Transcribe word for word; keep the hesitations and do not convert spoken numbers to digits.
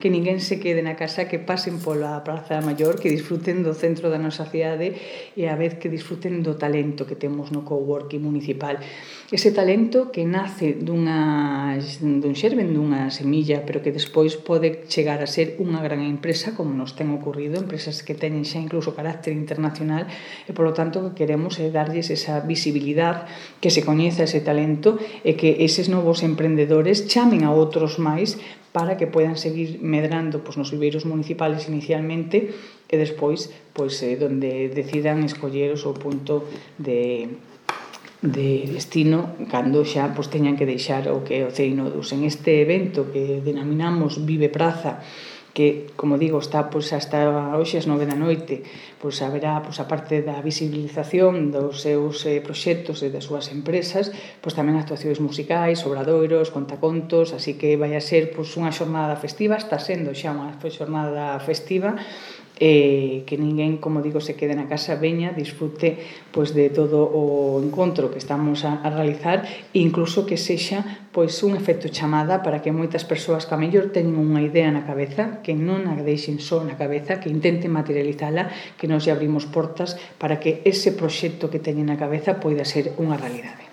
que ninguén se quede na casa, que pasen pola Praza Maior, que disfruten do centro da nosa cidade e a vez que disfruten do talento que temos no coworking municipal. Ese talento que nace dunha, dun xermen, dunha semilla, pero que despois pode chegar a ser unha gran empresa, como nos ten ocurrido, empresas que teñen xa incluso carácter internacional, e polo tanto o que queremos é darlles esa visibilidade, que se coñeza ese talento e que eses novos emprendedores chamen a outros máis para que poidan seguir medrando pois, nos viveiros municipales inicialmente e despois, pois, eh, donde decidan escoller o seu punto de, de destino cando xa pois, teñan que deixar o que é o C E I Nodus. En este evento que denominamos Vive Praza, que, como digo, está pois, hasta hoxe as nove da noite, pois haberá, pois, a parte da visibilización dos seus eh, proxectos e das súas empresas, pois tamén actuacións musicais, obradoiros, contacontos, así que vai a ser pois, unha xornada festiva, está sendo xa unha xornada festiva, eh, que ninguén, como digo, se quede na casa, veña, disfrute pois, de todo o encontro que estamos a, a realizar e incluso que sexa pois, un efecto chamada para que moitas persoas que a mellor teñen unha idea na cabeza, que non a deixen só na cabeza, que intenten materializala, que nos lle abrimos portas para que ese proxecto que teñen na cabeza poida ser unha realidade.